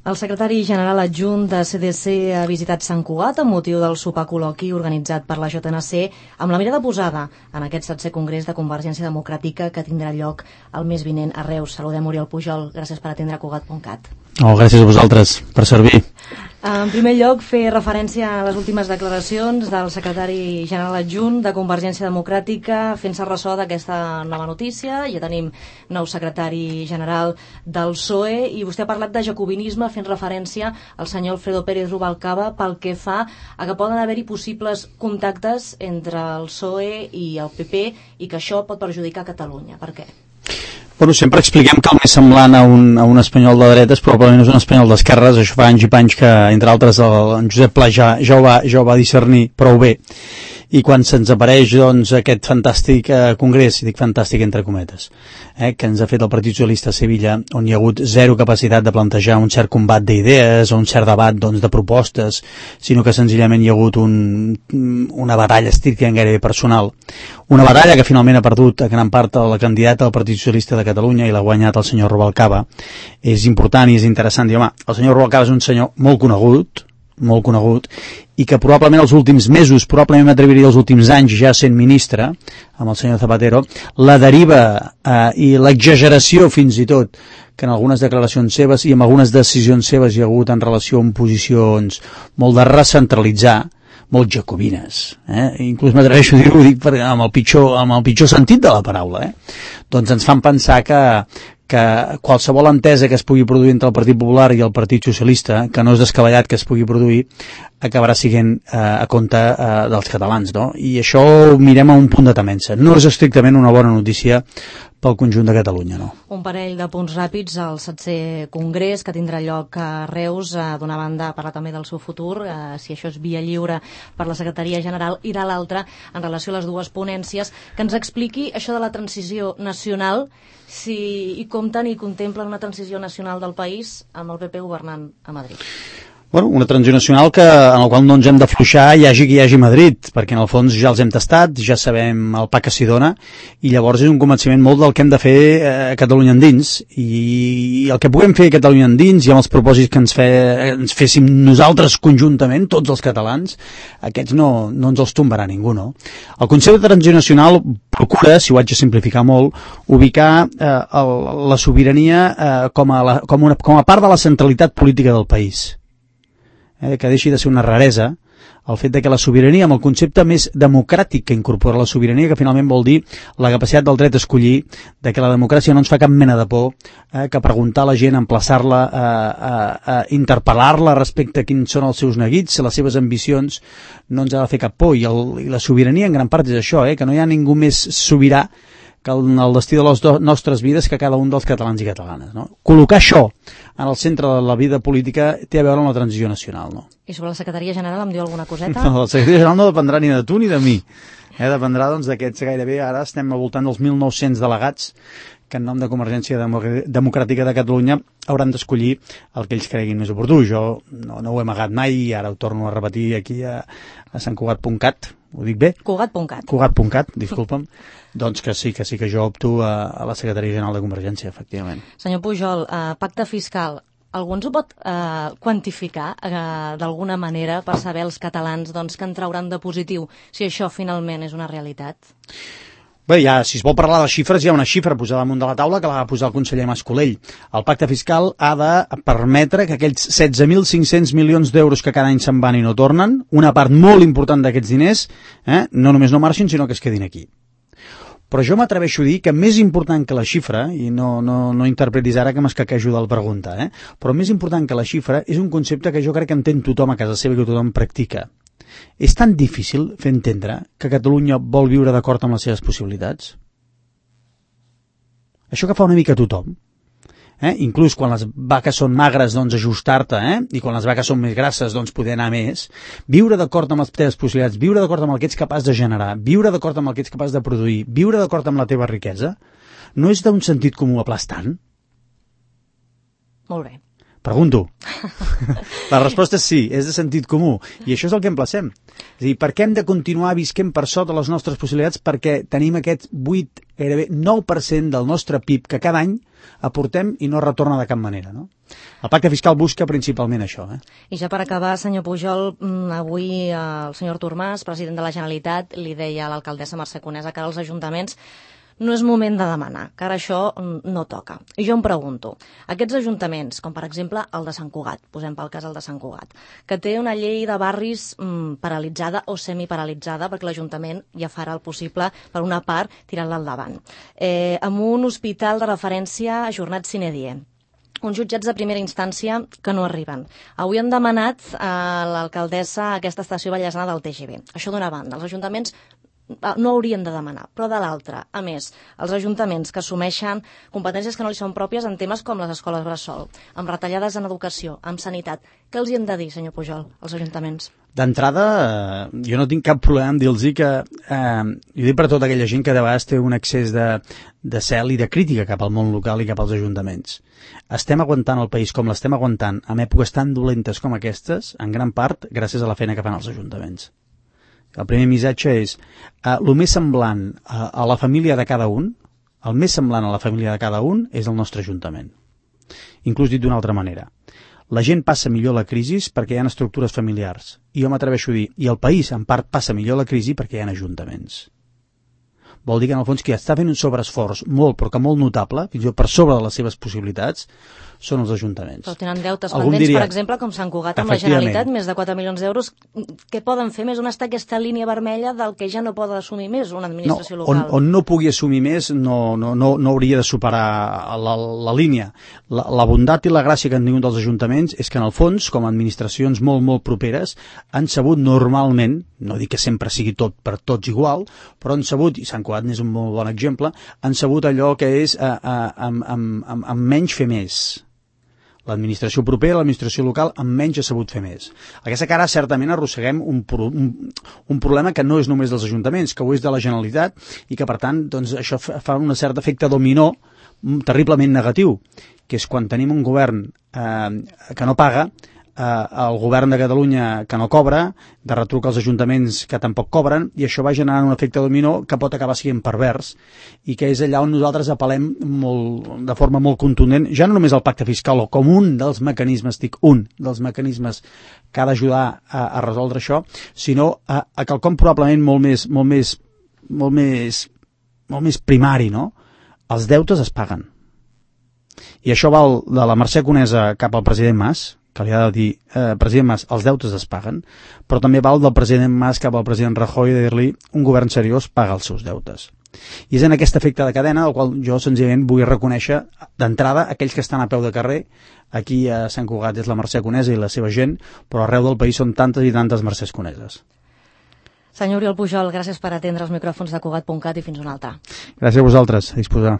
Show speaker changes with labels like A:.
A: El secretari general adjunt de CDC ha visitat Sant Cugat amb motiu del sopar col·loqui organitzat per la JNC amb la mirada posada en aquest 7è Congrés de Convergència Democràtica que tindrà lloc el mes vinent a Reus. Saludem Oriol Pujol, gràcies per atendre Cugat.cat.
B: Gràcies a vosaltres per servir.
A: En primer lloc, fer referència a les últimes declaracions del secretari general adjunt de Convergència Democràtica fent-se ressò d'aquesta nova notícia. Ja tenim nou secretari general del PSOE i vostè ha parlat de jacobinisme fent referència al senyor Alfredo Pérez Rubalcaba pel que fa a que poden haver-hi possibles contactes entre el PSOE i el PP i que això pot perjudicar Catalunya. Per què?
B: Bueno, sempre expliquem que el més semblant a un espanyol de dretes probablement és un espanyol d'esquerres. Això fa anys i panys que, entre altres, en Josep Pla ja ho va discernir prou bé. I quan se'ns apareix doncs, aquest fantàstic congrés, i dic fantàstic entre cometes, que ens ha fet el Partit Socialista a Sevilla, on hi ha hagut zero capacitat de plantejar un cert combat d'idees o un cert debat doncs, de propostes, sinó que senzillament hi ha hagut una batalla estrictament gairebé personal. Una batalla que finalment ha perdut a gran part la candidata del Partit Socialista de Catalunya i l'ha guanyat el senyor Rubalcaba. És important i és interessant dir, home, el senyor Rubalcaba és un senyor molt conegut, i que probablement els últims mesos, probablement m'atreviria els últims anys ja sent ministre, amb el senyor Zapatero, la deriva i l'exageració fins i tot que en algunes declaracions seves i en algunes decisions seves hi ha hagut en relació amb posicions molt de recentralitzar, molt jacobines, inclús m'atreveixo a dir-ho, dic amb el pitjor sentit de la paraula, doncs ens fan pensar que qualsevol entesa que es pugui produir entre el Partit Popular i el Partit Socialista, que no és descabellat que es pugui produir, acabarà sent a compte dels catalans, no? I això ho mirem a un punt de temença. No és estrictament una bona notícia pel conjunt de Catalunya, no?
A: Un parell de punts ràpids al 7è Congrés que tindrà lloc a Reus, d'una banda parlar també del seu futur, si això és via lliure per la Secretaria General, i de l'altra en relació a les dues ponències, que ens expliqui això de la transició nacional, si hi compten i contemplen una transició nacional del país amb el PP governant a Madrid.
B: Bueno, una transició nacional en la qual no ens hem d'afluixar hi hagi qui hi hagi a Madrid, perquè en el fons ja els hem tastat, ja sabem el pa que s'hi dona, i llavors és un convenciment molt del que hem de fer a Catalunya endins, i el que puguem fer a Catalunya endins i amb els propòsits que ens féssim nosaltres conjuntament, tots els catalans, aquests no ens els tombarà ningú, no? El concepte de transició nacional procura, si ho haig de simplificar molt, ubicar la sobirania com a part de la centralitat política del país. Que deixi de ser una raresa el fet de que la sobirania, amb el concepte més democràtic que incorpora la sobirania, que finalment vol dir la capacitat del dret a escollir, de que la democràcia no ens fa cap mena de por, que preguntar a la gent, emplaçar-la, interpel·lar-la respecte a quins són els seus neguits, les seves ambicions, no ens ha de fer cap por. I la sobirania en gran part és això, que no hi ha ningú més sobirà que el destí de les nostres vides que cada un dels catalans i catalanes, no? Col·locar això en el centre de la vida política té a veure amb la transició nacional, no?
A: I sobre la Secretaria General em diu alguna coseta?
B: No, la Secretaria General no dependrà ni de tu ni de mi. Dependrà doncs d'aquests gairebé, ara estem al voltant dels 1.900 delegats que en nom de Convergència Democràtica de Catalunya hauran d'escollir el que ells creguin més oportú. Jo no ho he amagat mai i ara ho torno a repetir aquí a santcugat.cat. Ho dic bé?
A: Cugat.cat.
B: Cugat.cat, disculpa'm. Doncs que sí que jo opto a la Secretaria General de Convergència, efectivament.
A: Senyor Pujol, pacte fiscal, algú ens ho pot quantificar d'alguna manera per saber els catalans que en trauran de positiu si això finalment és una realitat?
B: Bé, si es vol parlar de xifres, hi ha una xifra posada damunt de la taula que la va posar el conseller Mas-Colell. El pacte fiscal ha de permetre que aquells 16.500 milions d'euros que cada any se'n van i no tornen, una part molt important d'aquests diners, no només no marxin, sinó que es quedin aquí. Però jo m'atreveixo a dir que més important que la xifra, i no interpretis ara que m'escaquejo de la pregunta, però més important que la xifra és un concepte que jo crec que entén tothom a casa seva i que tothom practica. És tan difícil fer entendre que Catalunya vol viure d'acord amb les seves possibilitats? Això que fa una mica tothom. Inclús quan les vaques són magres, doncs ajustar-te, i quan les vaques són més grasses, doncs poder anar més. Viure d'acord amb les teves possibilitats, viure d'acord amb el que ets capaç de generar, viure d'acord amb el que ets capaç de produir, viure d'acord amb la teva riquesa, no és d'un sentit comú aplastant?
A: Molt bé.
B: Pregunto. La resposta és sí, és de sentit comú. I això és el que emplacem. És a dir, per què hem de continuar visquent per sota les nostres possibilitats? Perquè tenim aquest 8, gairebé 9% del nostre PIB que cada any aportem i no retorna de cap manera, no? El pacte fiscal busca principalment això.
A: I ja per acabar, senyor Pujol, avui el senyor Artur Mas, president de la Generalitat, li deia a l'alcaldessa Mercè Conesa que als ajuntaments no és moment de demanar, que ara això no toca. I jo em pregunto, aquests ajuntaments, com per exemple el de Sant Cugat, posem pel cas el de Sant Cugat, que té una llei de barris paralitzada o semiparalitzada, perquè l'Ajuntament ja farà el possible, per una part, tirant-la endavant. Amb un hospital de referència ajornat sine die, uns jutjats de primera instància que no arriben. Avui han demanat a l'alcaldessa aquesta estació bellesana del TGV. Això d'una banda, els ajuntaments no haurien de demanar, però de l'altra, a més, els ajuntaments que assumeixen competències que no li són pròpies en temes com les escoles bressol, amb retallades en educació, amb sanitat, què els hi hem de dir, senyor Pujol, als ajuntaments?
B: D'entrada, jo no tinc cap problema en dir-los que, jo dic per tota aquella gent que de vegades té un excés de cel i de crítica cap al món local i cap als ajuntaments. Estem aguantant el país com l'estem aguantant en èpoques tan dolentes com aquestes, en gran part gràcies a la feina que fan els ajuntaments. El primer missatge és el més semblant a la família de cada un, el més semblant a la família de cada un és el nostre Ajuntament. Inclús dit d'una altra manera. La gent passa millor la crisi perquè hi ha estructures familiars. I jo m'atreveixo a dir, i el país en part passa millor la crisi perquè hi ha ajuntaments. Vol dir que en el fons qui està fent un sobreesforç molt, però que molt notable, fins i tot per sobre de les seves possibilitats, són els ajuntaments.
A: Però tenen deutes pendents, per exemple, com Sant Cugat amb la Generalitat, més de 4 milions d'euros. Què poden fer més? On està aquesta línia vermella del que ja no pot assumir més una administració local?
B: On no pugui assumir més no hauria de superar la línia. La bondat i la gràcia que han tingut els ajuntaments és que en el fons, com a administracions molt, molt properes, han sabut normalment, no dic que sempre sigui tot per tots igual, però han sabut, i Sant Cugat n'és un molt bon exemple, han sabut allò que és amb menys fer més. L'administració propera, l'administració local, amb menys ha sabut fer més. Aquesta cara, certament, arrosseguem un problema que no és només dels ajuntaments, que ho és de la Generalitat, i que, per tant, doncs, això fa un cert efecte dominó terriblement negatiu, que és quan tenim un govern que no paga, el govern de Catalunya que no cobra, de retruc als ajuntaments que tampoc cobren, i això va generant un efecte dominó que pot acabar sent pervers, i que és allà on nosaltres apel·lem de forma molt contundent, ja no només al pacte fiscal, o com un dels mecanismes, un dels mecanismes que ha d'ajudar a resoldre això, sinó a quelcom probablement molt més primari, no? Els deutes es paguen. I això val de la Mercè Conesa cap al president Mas, que li ha de dir, president Mas, els deutes es paguen, però també val del president Mas cap al president Rajoy de dir-li un govern seriós paga els seus deutes. I és en aquest efecte de cadena el qual jo senzillament vull reconèixer d'entrada aquells que estan a peu de carrer. Aquí a Sant Cugat és la Mercè Conesa i la seva gent, però arreu del país són tantes i tantes Mercès Coneses.
A: Senyor Oriol Pujol, gràcies per atendre els micròfons de Cugat.cat i fins una altra.
B: Gràcies a vosaltres, a disposar.